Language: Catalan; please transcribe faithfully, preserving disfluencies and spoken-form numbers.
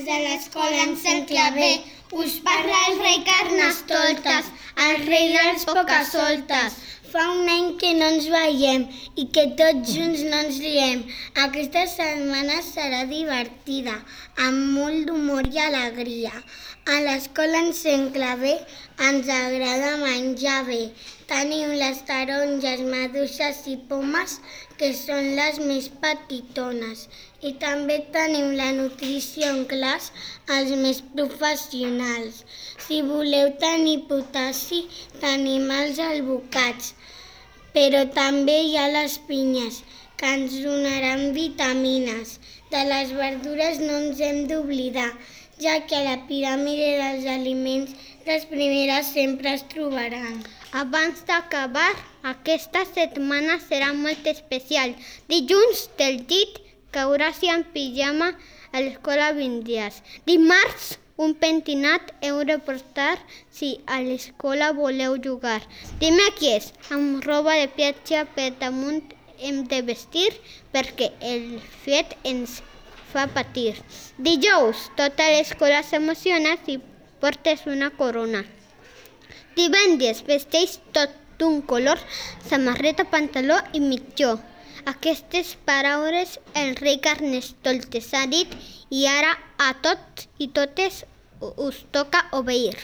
de l'escola en Sant Claver us parla el rei Carnestoltes, el rei dels pocasoltes. Fa un any que no ens veiem i que tots junts no ens riem. Aquesta setmana serà divertida, amb molt d'humor i alegria. A l'escola en Sant Claver ens agrada menjar bé. Tenim les taronges, maduixes i pomes, que són les més petitones. I també tenim la nutrició en classe, els més professionals. Si voleu tenir potassi, tenim els albocats. Però també hi ha les pinyes, que ens donaran vitamines. De les verdures no ens hem d'oblidar, ja que a la piràmide dels aliments les primeres sempre es trobaran. Abans d'acabar, aquesta setmana serà molt especial. Dilluns del llit cauràs en pijama a l'escola vint dies. Dimarts, un pentinat heu de portar si a l'escola voleu jugar. Dimecres, amb roba de platja per damunt hem de vestir perquè el fred ens fa patir. Dijous, tota l'escola s'emociona si portes una corona. Divendres, vesteix tot d'un color, samarreta, pantaló i mitjó. Aquestes paraules el rei Carnestoltes ha dit i ara a tots i totes us toca obeir.